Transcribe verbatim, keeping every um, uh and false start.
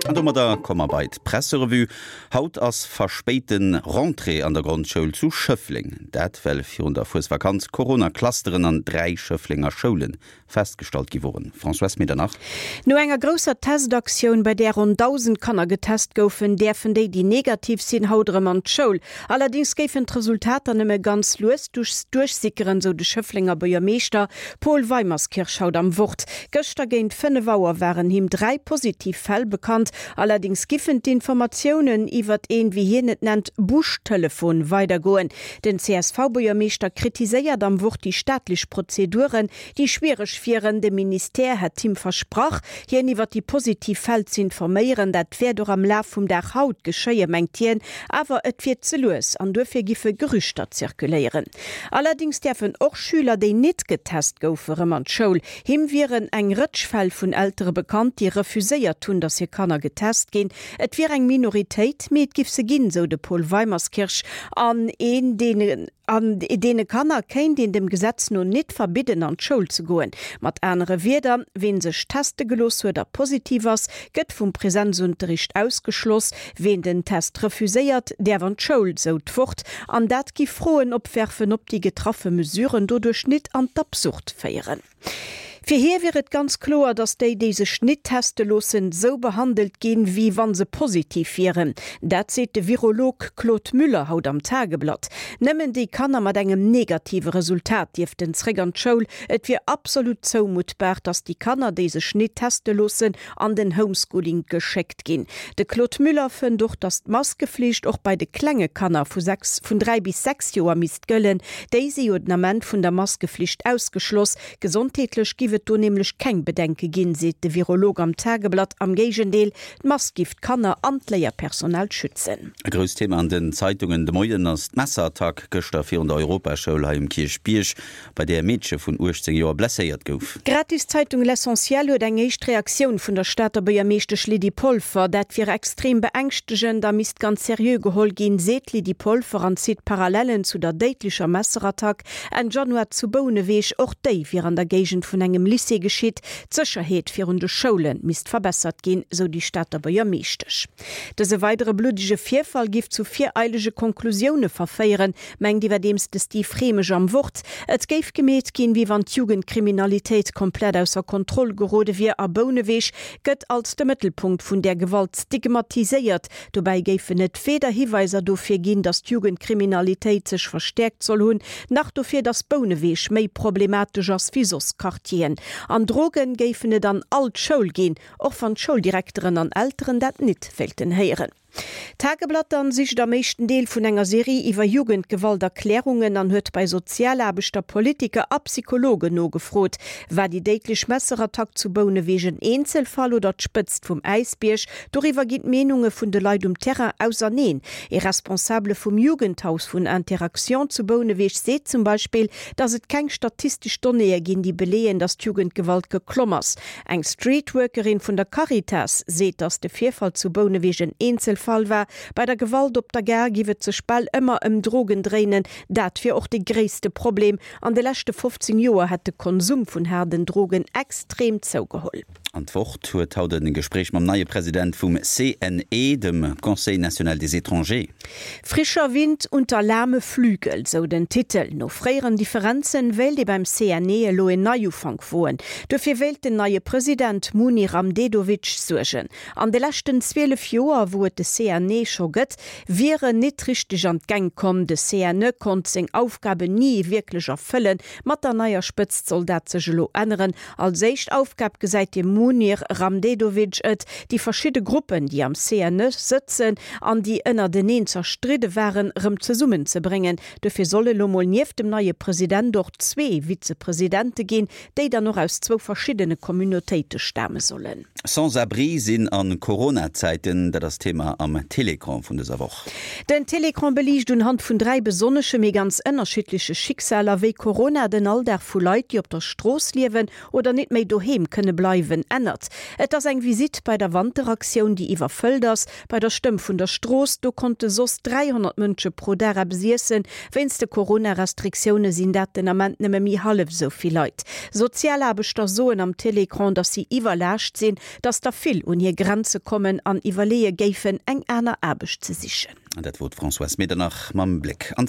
An domadder komme mer bei d'Presserevue. Haut ass verspéite Rentrée an der Grondschoul zu Schëffleng. Dat well virun der Fuesvakanz Corona-Clusteren an dräi Schëfflenger Schoule festgestallt gi woren. Françoise Medernach. No enger grousser Testaktioun, bei där ronn dausend Kanner getest goufen, däerfen déi, déi negativ sinn, haut erëm an d'Schoul. Allerdéngs géifen d'Resultater nëmme ganz lues duerchsickeren, sou de Schëfflenger Buergermeeschter Paul Weimerskirch haut am Wort. Gëschter géint fënnef Auer waren him dräi positiv Fäll bekannt. Allerdéngs giffen d'Informatiounen iwwert een, wéi hien et nennt, Buschtelefon weidergoen. Den C S V-Buergermeeschter kritiséiert am Wort déi staatlech Prozeduren, déi schwiereg wieren. De Ministère hätt him versprach, hien iwwert déi positiv Fäll ze informéieren. Dat wäert och am Laf vum Dag haut geschéien, mengt hien, awer et wier ze lues an duerfir giffe Gerüchter zirkuléieren. Allerdéngs däerfen och Schüler, déi net getest goufen, erëm an d'Schoul. Him wieren eng Rëtsch Fäll vun Eltere bekannt, déi refuséiert hunn, dass hir Kanner getest ginn. Et wier eng Minoritéit, mee et giff se ginn, sou de Paul Weimerskirch. An een deene an deene Kanner kéint een dem Gesetz no net verbidden, an d'Schoul ze goen. Mat anere Wierder, wien sech teste gelooss huet a positiv ass, gëtt vum Präsenzunterricht ausgeschloss. Wien den Test refuséiert, däerf an d'Schoul, sou d'Wort. An dat giff Froen opwerfen, ob déi getraffe Mesuren doduerch net an d'Absurd féieren. Fir hie wier et ganz kloer, datt déi, déi sech net teste loossen, sou behandelt ginn, wéi wa se positiv wieren. Dat seet de Virolog Claude Müller haut am Tageblatt. Nëmmen déi Kanner mat engem negative Resultat dierften zréck an d'Schoul. Et wier absolut zoumuttbar, datt déi Kanner, déi sech net teste loossen, an den Homeschooling geschéckt ginn. De Claude Müller fënnt och, datt d'Maskeflicht och bei de klenge Kanner vu sechs, vun dräi bis sechs Joer misst gëllen. Déi si jo den Ament vun der Maskeflicht ausgeschloss. Gesondheetlech giff et do nämlech keng Bedenke ginn, seet de Virolog am Tageblatt. Am Géigendeel, d'Mask giff d'Kanner an d'Léierpersonal schützen. E grousst Thema an den Zeitungen de Moien ass d'Messerattack gëschter virun der Europaschoul hei um Kierchbierg, bei där e Meedche vun uechtzéng Joer blesséiert gouf. D'Gratiszeitung L'Essentiel huet eng éischt Reaktioun vun der Stater Buergermeeschtesch Lydie Polfer. Dat wier extrem beängschtegend a misst ganz seriö geholl ginn, seet d'Lydie Polfer an zitt Parallellen zu der déidlecher Messerattack Enn Januar zu Bouneweg. Och déi wier an der Géigend vun engem Lycée geschitt. D'Sécherheet virun de Schoule misst verbessert ginn, sou déi Stater Buergermeeschtesch. Dëse weidere bluddege Virfall giff zu vireilege Konklusioune verféieren, mengt iwwerdeems de Steve Rehmeg am Wort. Et géif gemeet ginn, wéi wann d'Jugendkriminalitéit komplett ausser Kontroll gerode wier a Bouneweg gëtt als de Mëttelpunkt vun där Gewalt stigmatiséiert. Dobäi géifen et weder Hiweiser dofir ginn, datt d'Jugendkriminalitéit sech verstäerkt soll hunn, nach dofir, datt Bouneweg méi problematesch ass wéi soss Quartieren. An Drogen géifen et an all Schoul ginn, och wann d'Schouldirekteren an Elteren dat nit wéilten héieren. D'Tageblatt dann sicht am éischten Deel vun enger Serie iwwer Jugendgewalt Erklärungen an huet bei Sozialaarbechter, Politiker a Psychologen nogefrot. War déi déidlech Messerattack zu Bouneweg en Eenzelfall oder d'Spëtzt vum Äisbierg? Doriwwer ginn d'Meenunge vun de Leit um Terrain auserneen. E Responsabele vum Jugendhaus vun Interaction zu Bouneweg seet zum Beispill, datt et keng statistesch Donnéeë ginn, déi beleeën, datt d'Jugendgewalt geklomm ass. Eng Streetworkerin vun der Caritas seet, datt de Virfall zu Bouneweg en Eenzelfall war. Bei der Gewalt op der Gare giff et sech bal ëmmer ëm Drogen dréinen. Dat wier och de gréisste Problem. An de leschte fofzéng Joer hätt de Konsum vun haarden Drogen extrem zougeholl. An d'Wort huet haut e Gespréich mam neie President vum C N E, dem Conseil national des étrangers. Frischer Wind unter lahme Flügel, sou den Titel. No fréieren Differenzen wéilt ee beim C N E elo en Neiufank woen. Dofir wéilt den neie President Munir Ramdedovic suergen. An de leschten zwielef Joer, wou et de C N E scho gëtt, wier en nit richteg an d'Gäng komm. De C N E konnt seng Aufgaben ni wierklech erfëllen. Mat der neier Spëtzt soll dat sech elo änneren. Als éischt Aufgab gesäit de Munir Ramdedovic et, déi verschidde Gruppen, déi am C N E sëtzen an déi ënnerteneen zerstridde waren, rëm zesummenzebréngen. Dofir soll et elo mol nieft dem neie President och zwee Vizepresidente ginn, déi dann och aus zwou verschiddene Communautéite stame sollen. Sans-abri sinn a Corona-Zäiten, dat ass Thema am Télécran vun dëser Woch. Den Télécran beliicht unhand vun dräi besonnesche mee ganz ënnerschiddleche Schicksaler, wéi Corona den Alldag vu Leit, déi op der Strooss liewen oder net méi doheem kënne bleiwen, ännert. Et ass eng Visitt bei der Wanteraktioun, déi iwwerfëllt ass, bei der Stëmm vun der Strooss, do konnte soss dräihonnert Mënsche pro Dag eppes iessen, wéinst de Corona-Restriktioune sinn dat den Ament nëmme méi hallef esou vill Leit. Sozialaarbechter soen am Télécran, datt si iwwerlaascht sinn, datt der vill un hir Grenze kommen an iwwerleeë géifen, eng aner Aarbecht ze sichen. An dat wor d'Françoise Medernach mam Bléck an